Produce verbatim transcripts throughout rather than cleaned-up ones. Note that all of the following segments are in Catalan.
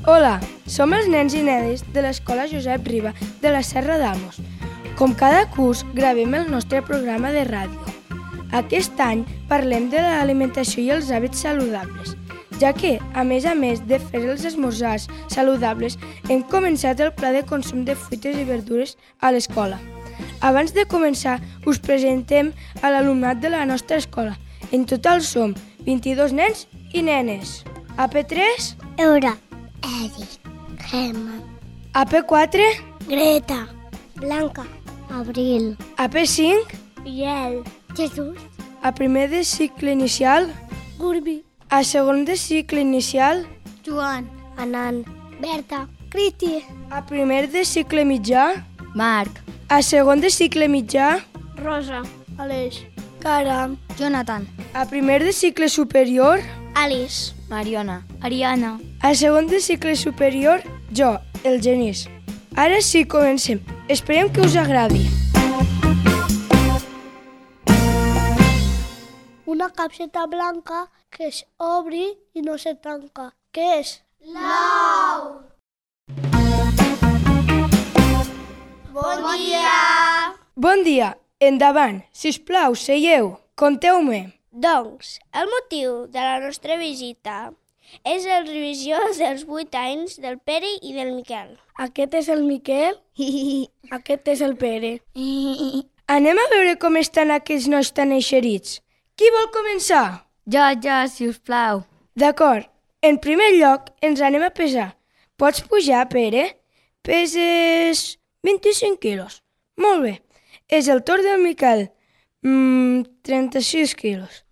Hola, som els nens i nenes de l'Escola Josep Riba de la Serra d'Almos. Com cada curs, gravem el nostre programa de ràdio. Aquest any parlem de l'alimentació i els hàbits saludables, ja que, a més a més de fer els esmorzars saludables, hem començat el pla de consum de fruites i verdures a l'escola. Abans de començar, us presentem a l'alumnat de la nostra escola. En total som vint-i-dos nens i nenes. A P tres, Eura, Eric, Germán, A P quatre, Greta, Blanca, Abril, A P cinc, Biel, Jesús, a primer de cicle inicial, Gurbi, a segon de cicle inicial, Joan, Anan, Berta, Cristi, a primer de cicle mitjà, Marc, a segon de cicle mitjà, Rosa, Aleix, Caram, Jonathan, a primer de cicle superior, Alice, Mariona, Ariana. a segon de cicle superior, jo, el Genís. Ara sí, comencem. Esperem que us agradi. una capseta blanca que es obri i no se tanca. Què és? L'ou! Bon dia! Bon dia. Endavant. Sisplau, seieu. Conteu-me. Doncs, el motiu de la nostra visita és la revisió dels vuit anys del Pere i del Miquel. Aquest és el Miquel, aquest és el Pere. Anem a veure com estan aquests nois tan eixerits. Qui vol començar? Jo, jo, si us plau. D'acord. En primer lloc, ens anem a pesar. Pots pujar, Pere? Peses vint-i-cinc quilos. Molt bé. És el torn del Miquel. Mm, trenta-sis quilos.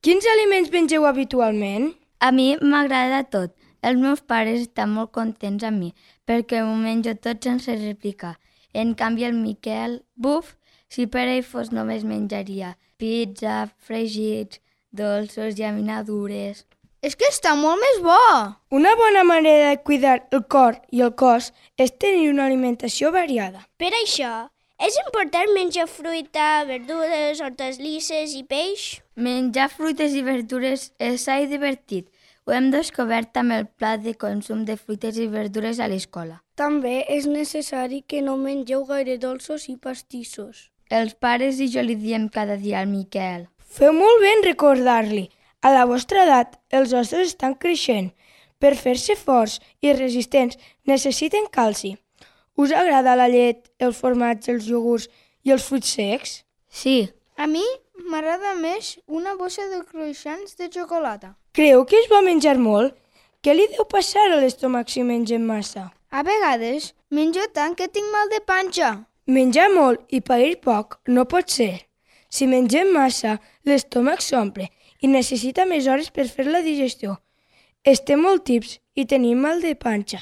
Quins aliments mengeu habitualment? A mi m'agrada tot. Els meus pares estan molt contents amb mi perquè m'ho menjo tot sense replicar. En canvi el Miquel, buf, si per ell fos només menjaria pizza, fregits, dolços, llaminadures. És que està molt més bo! Una bona manera de cuidar el cor i el cos és tenir una alimentació variada. Per això, és important menjar fruita, verdures, hortalisses i peix? Menjar fruites i verdures és sa i divertit. Ho hem descobert amb el pla de consum de fruites i verdures a l'escola. També és necessari que no mengeu gaire dolços i pastissos. Els pares i jo li diem cada dia al Miquel. Feu molt bé en recordar-li. A la vostra edat, els ossos estan creixent. Per fer-se forts i resistents necessiten calci. Us agrada la llet, el formatge, els iogurts i els fruits secs? Sí. A mi m'agrada més una bossa de croissants de xocolata. Creu que és bo menjar molt? Què li deu passar a l'estómac si mengem massa? A vegades menjo tant que tinc mal de panxa. Menjar molt i pair poc no pot ser. Si mengem massa, l'estómac s'omple i necessita més hores per fer la digestió. Estem molt tips i tenim mal de panxa.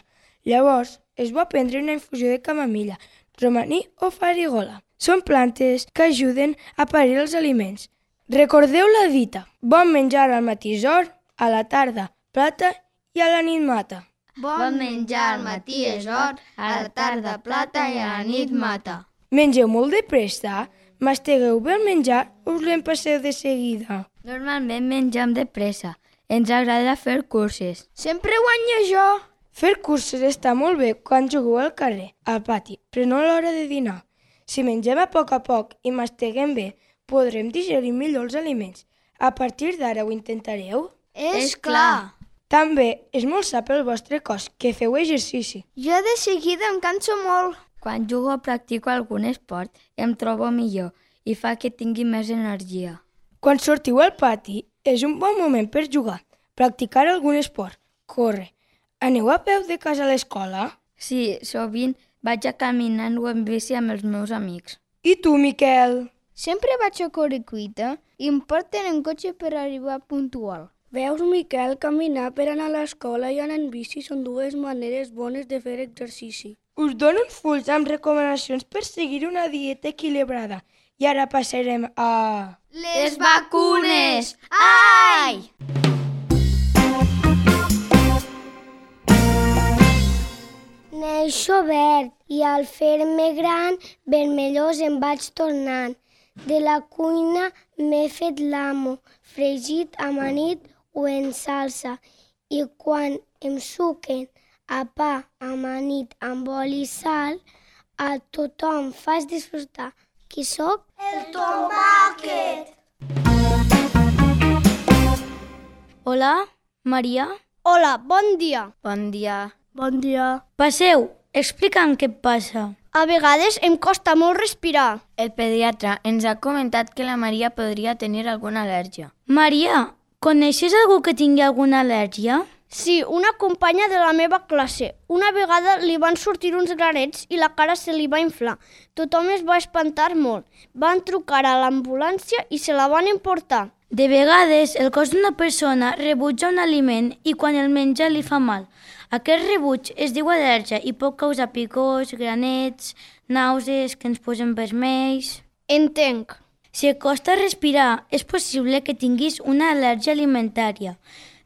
Llavors, és bo prendre una infusió de camamilla, romaní o farigola. Són plantes que ajuden a parir els aliments. Recordeu la dita: bon menjar al matí és or, a la tarda plata i a la nit mata. Bon menjar al matí és or, a la tarda plata i a la nit mata. Mengeu molt de pressa? Mastegueu bé el menjar o us l'empasseu de seguida? Normalment mengem de pressa. Ens agrada fer curses. Sempre guanyo jo! Fer curses està molt bé quan jugueu al carrer, al pati, però no a l'hora de dinar. Si mengem a poc a poc i masteguem bé, podrem digerir millor els aliments. A partir d'ara ho intentareu? És clar! També és molt sa pel vostre cos que feu exercici. Jo de seguida em canso molt. Quan jugo o practico algun esport, em trobo millor i fa que tingui més energia. Quan sortiu al pati, és un bon moment per jugar, practicar algun esport, córrer. Aneu a peu de casa a l'escola? Sí, sovint vaig a caminant o en bici amb els meus amics. I tu, Miquel? Sempre vaig a Correcuita i em porten en cotxe per arribar puntual. Veus, Miquel, caminar per anar a l'escola i anar en bici són dues maneres bones de fer exercici. Us dono uns fulls amb recomanacions per seguir una dieta equilibrada. I ara passarem a... Les vacunes! Ai! Neixo verd i al fer-me gran vermellós em vaig tornant. De la cuina m'he fet l'amo, fregit, amanit o en salsa. I quan em suquen a pa, amanit, amb oli i sal, a tothom fas disfrutar. Qui sóc? El tomàquet! Hola, Maria? Hola, bon dia. Bon dia. Bon dia. Passeu, explica'm què et passa. A vegades em costa molt respirar. El pediatre ens ha comentat que la Maria podria tenir alguna al·lèrgia. Maria, coneixes algú que tingui alguna al·lèrgia? Sí, una companya de la meva classe. Una vegada li van sortir uns granets i la cara se li va inflar. Tothom es va espantar molt. Van trucar a l'ambulància i se la van emportar. De vegades, el cos d'una persona rebutja un aliment i quan el menja li fa mal. Aquest rebuig es diu al·lèrgia i pot causar picors, granets, nàusees, que ens posen vermells... Entenc. Si et costa respirar, és possible que tinguis una al·lèrgia alimentària.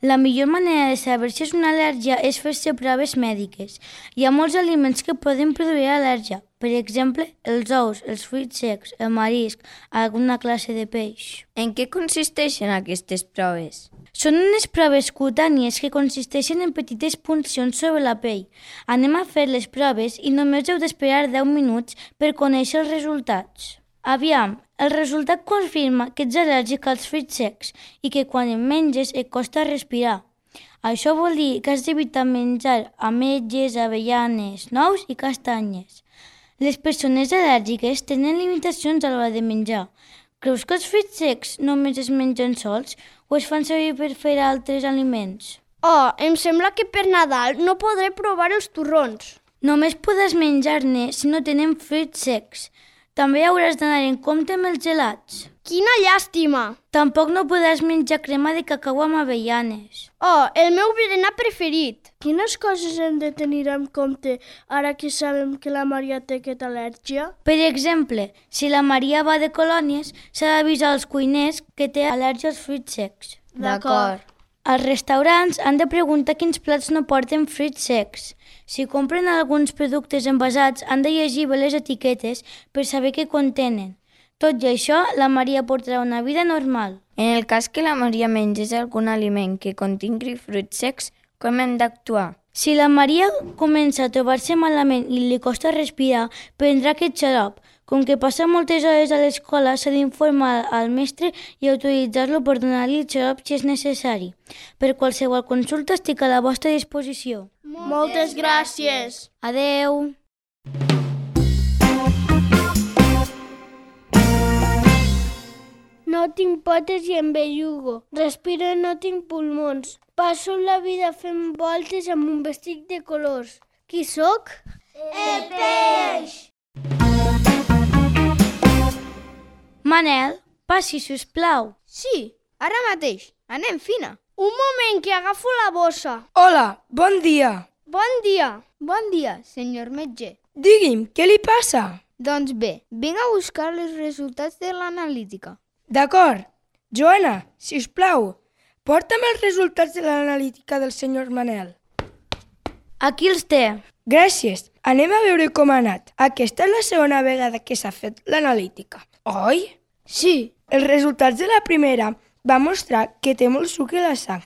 La millor manera de saber si és una al·lèrgia és fer-se proves mèdiques. Hi ha molts aliments que poden produir al·lèrgia, per exemple, els ous, els fruits secs, el marisc, alguna classe de peix. En què consisteixen aquestes proves? Són unes proves cutànies que consisteixen en petites puncions sobre la pell. Anem a fer les proves i només heu d'esperar deu minuts per conèixer els resultats. Aviam, el resultat confirma que ets al·lèrgic als fruits secs i que quan en menges et costa respirar. Això vol dir que has d'evitar menjar ametlles, avellanes, nous i castanyes. Les persones al·lèrgiques tenen limitacions a l'hora de menjar. Creus que els fruits secs només es mengen sols o es fan servir per fer altres aliments? Oh, em sembla que per Nadal no podré provar els torrons. Només podràs menjar-ne si no tenen fruits secs. També hauràs d'anar en compte amb els gelats. Quina llàstima! Tampoc no podràs menjar crema de cacau amb avellanes. Oh, el meu berenar preferit! Quines coses hem de tenir en compte ara que sabem que la Maria té aquesta al·lèrgia? Per exemple, si la Maria va de colònies, s'ha d'avisar als cuiners que té al·lèrgia als fruits secs. D'acord. Els restaurants han de preguntar quins plats no porten fruits secs. Si compren alguns productes envasats, han de llegir bé les etiquetes per saber què contenen. Tot i això, la Maria portarà una vida normal. En el cas que la Maria mengés algun aliment que contingui fruits secs, com hem d'actuar? Si la Maria comença a trobar-se malament i li costa respirar, prendrà aquest xarop. Com que passa moltes hores a l'escola, s'ha d'informar al mestre i autoritzar-lo per donar-li el xarop si és necessari. Per qualsevol consulta estic a la vostra disposició. Moltes gràcies! Adeu! No tinc potes i em bellugo. Respiro i no tinc pulmons. Passo la vida fent voltes amb un vestit de colors. Qui sóc? El peix! Manel, passi, sisplau. Sí, ara mateix. Anem, fina. Un moment, que agafo la bossa. Hola, bon dia. Bon dia. Bon dia, senyor metge. Digui'm, què li passa? Doncs bé, vinc a buscar els resultats de l'analítica. D'acord. Joana, sisplau, porta'm els resultats de l'analítica del senyor Manel. Aquí els té. Gràcies. Anem a veure com ha anat. Aquesta és la segona vegada que s'ha fet l'analítica, oi? Sí. Els resultats de la primera van mostrar que té molt sucre a la sang.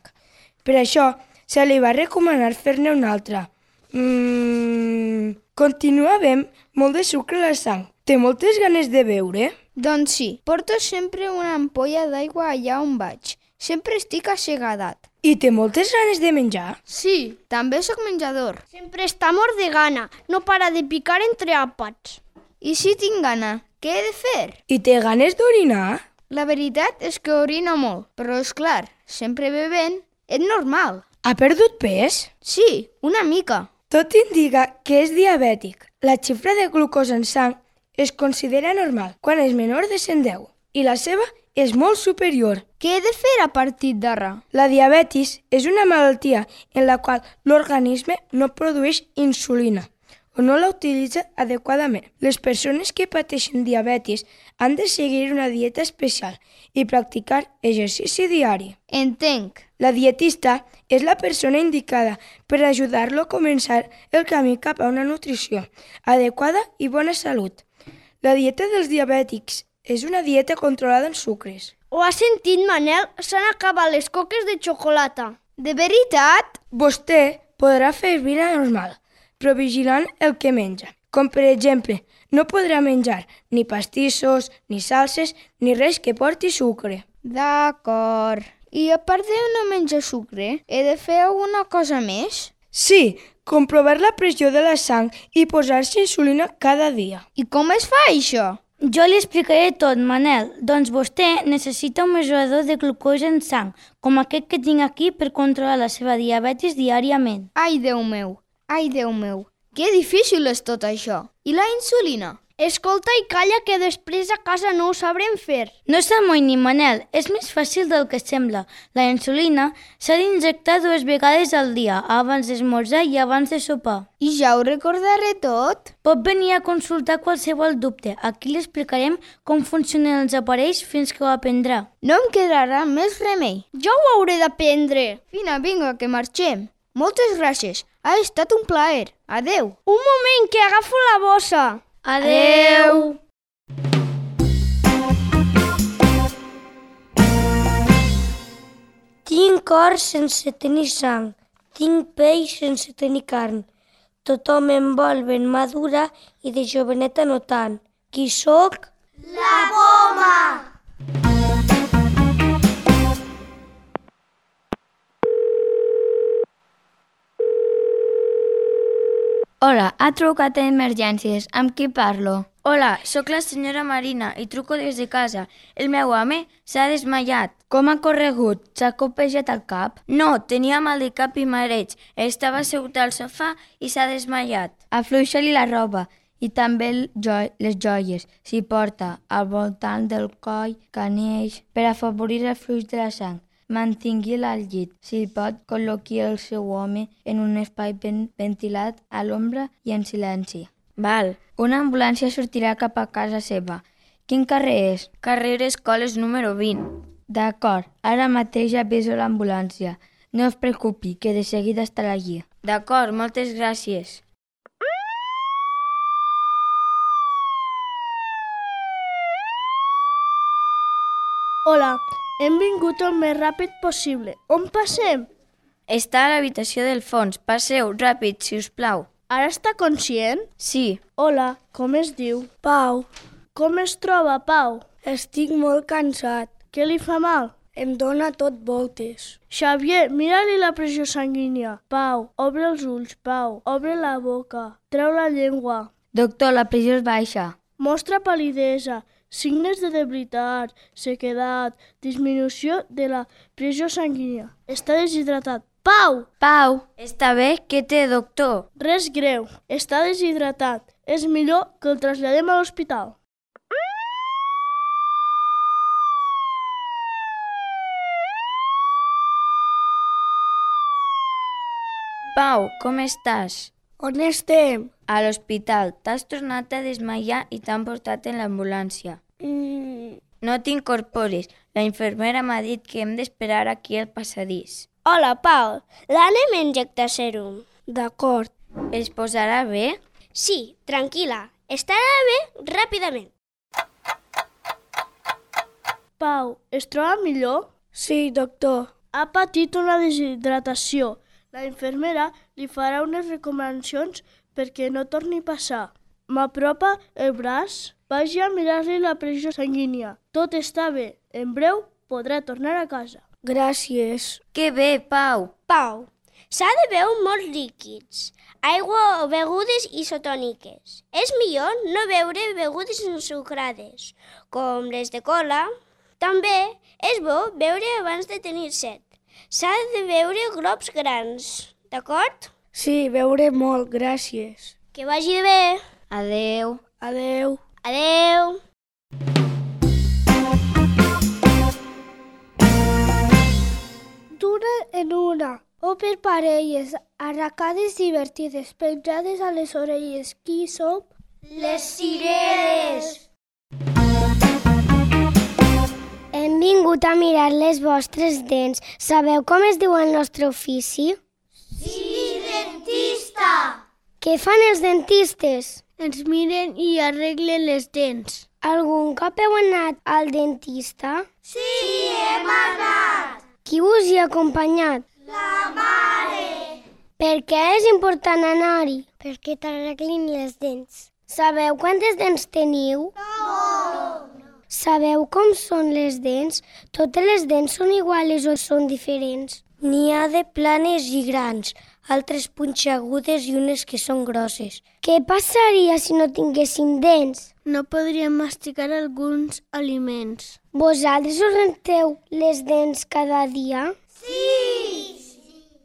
Per això, se li va recomanar fer-ne una altra. Mm, continua havent molt de sucre a la sang. Té moltes ganes de beure? Doncs sí, porto sempre una ampolla d'aigua allà on vaig. Sempre estic assegadat. I té moltes ganes de menjar? Sí, també sóc menjador. Sempre està mort de gana. No para de picar entre àpats. I si tinc gana, què he de fer? I té ganes d'orinar? La veritat és que orino molt, però és clar, sempre bevent, és normal. Ha perdut pes? Sí, una mica. Tot indica que és diabètic. La xifra de glucosa en sang es considera normal quan és menor de cent deu i la seva és molt superior. Què he de fer a partir d'ara? La diabetis és una malaltia en la qual l'organisme no produeix insulina o no la utilitza adequadament. Les persones que pateixen diabetis han de seguir una dieta especial i practicar exercici diari. Entenc. La dietista és la persona indicada per ajudar-lo a començar el camí cap a una nutrició adequada i bona salut. La dieta dels diabètics és una dieta controlada en sucres. Ho has sentit, Manel? S'han acabat les coques de xocolata. De veritat? Vostè podrà fer vida normal, però vigilant el que menja. Com per exemple, no podrà menjar ni pastissos, ni salses, ni res que porti sucre. D'acord. I a part de no menjar sucre, he de fer alguna cosa més? Sí, comprovar la pressió de la sang i posar-se insulina cada dia. I com es fa això? Jo li explicaré tot, Manel. Doncs vostè necessita un mesurador de glucosa en sang, com aquest que tinc aquí per controlar la seva diabetis diàriament. Ai, Déu meu, ai, Déu meu. Que difícil és tot això. I la insulina? Escolta i calla que després a casa no ho sabrem fer. No s'amoïni, Manel, és més fàcil del que sembla. La insulina s'ha d'injectar dues vegades al dia, abans d'esmorzar i abans de sopar. I ja ho recordaré tot? Pot venir a consultar qualsevol dubte. Aquí li explicarem com funcionen els aparells fins que ho aprendrà. No em quedarà més remei. Jo ho hauré d'aprendre. Vine, vinga, que marxem. Moltes gràcies. Ha estat un plaer. Adeu. Un moment, que agafo la bossa. Adeu! Tinc cor sense tenir sang, tinc pell sense tenir carn. Tothom em vol ben madura i de joveneta no tant. Qui sóc? La poma! Hola, ha trucat a Emergències. Amb qui parlo? Hola, sóc la senyora Marina i truco des de casa. El meu home s'ha desmaiat. Com ha corregut? S'ha copejat al cap? No, tenia mal de cap i mareig. Estava assegut al sofà i s'ha desmaiat. Afluixa-li la roba i també el jo les joies, si porta, al voltant del coll, canells, per afavorir el flux de la sang. Mantingui-la al llit. Si pot, col·loqui el seu home en un espai ben ventilat, a l'ombra i en silenci. Val. Una ambulància sortirà cap a casa seva. Quin carrer és? Carrer Escoles número vint. D'acord, ara mateix aviso l'ambulància. No es preocupi, que de seguida estarà allí. D'acord, moltes gràcies. Hola, hem vingut el més ràpid possible. On passem? Està a l'habitació del fons. Passeu, ràpid, si us plau. Ara està conscient? Sí. Hola, com es diu? Pau, Com es troba, Pau? estic molt cansat. Què li fa mal? Em dóna tot voltes. Xavier, mira-li la pressió sanguínia. Pau, obre els ulls, Pau. Obre la boca. Treu la llengua. Doctor, la pressió és baixa. Mostra pal·lidesa, signes de debilitat, sequedat, disminució de la pressió sanguínia. Està deshidratat. Pau! Pau! Està bé? Què té, doctor? Res greu. Està deshidratat. És millor que el traslladem a l'hospital. Pau, com estàs? On estem? A l'hospital. T'has tornat a desmaiar i t'han portat en l'ambulància. Mm, No t'incorporis. La infermera m'ha dit que hem d'esperar aquí al passadís. Hola, Pau. L'anem a injectar sèrum. D'acord. Es posarà bé? Sí, tranquil·la. Estarà bé ràpidament. Pau, es troba millor? Sí, doctor. Ha patit una deshidratació. La infermera li farà unes recomanacions perquè no torni a passar. M'apropa el braç. Vagi a mirar-li la pressió sanguínia. Tot està bé. En breu podrà tornar a casa. Gràcies. Que bé, Pau. Pau, s'ha de beure molts líquids. Aigua o begudes isotòniques. És millor no beure begudes ensucrades, com les de cola. També és bo beure abans de tenir set. S'ha de beure globs grans, d'acord? Sí, beure molt, gràcies. Que vagi bé. Adeu. Adeu. Adeu. D'una en una, o per parelles, arracades divertides, penjades a les orelles. Qui som? Les cireres. Hem vingut a mirar les vostres dents. Sabeu com es diu el nostre ofici? Sí, dentista. Què fan els dentistes? Ens miren i arreglen les dents. Algun cop heu anat al dentista? Sí, hem anat. Qui us hi ha acompanyat? La mare. Per què és important anar-hi? Perquè t'arreglin les dents. Sabeu quantes dents teniu? No! Sabeu com són les dents? Totes les dents són iguals o són diferents? N'hi ha de planes i grans, altres punxegudes i unes que són grosses. Què passaria si no tinguéssim dents? No podríem masticar alguns aliments. Vosaltres us renteu les dents cada dia? Sí!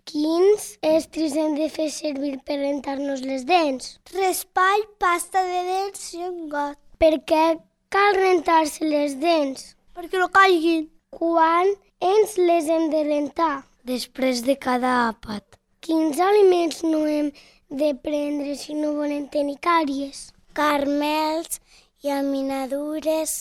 Quins estris hem de fer servir per rentar-nos les dents? Raspall, pasta de dents i un got. Per què cal rentar-se les dents? Perquè no caiguin. Quan ens les hem de rentar? Després de cada àpat. Quins aliments no hem de prendre si no volem tenir càries? Carmels, llaminadures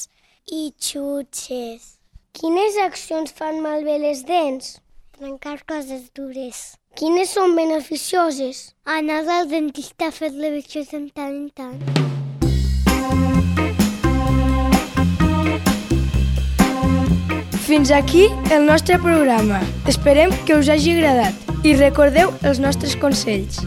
i xutxes. Quines accions fan malbé les dents? Trencar coses dures. Quines són beneficioses? Anar al dentista a fer revisions de tant en tant. Fins aquí el nostre programa. Esperem que us hagi agradat i recordeu els nostres consells.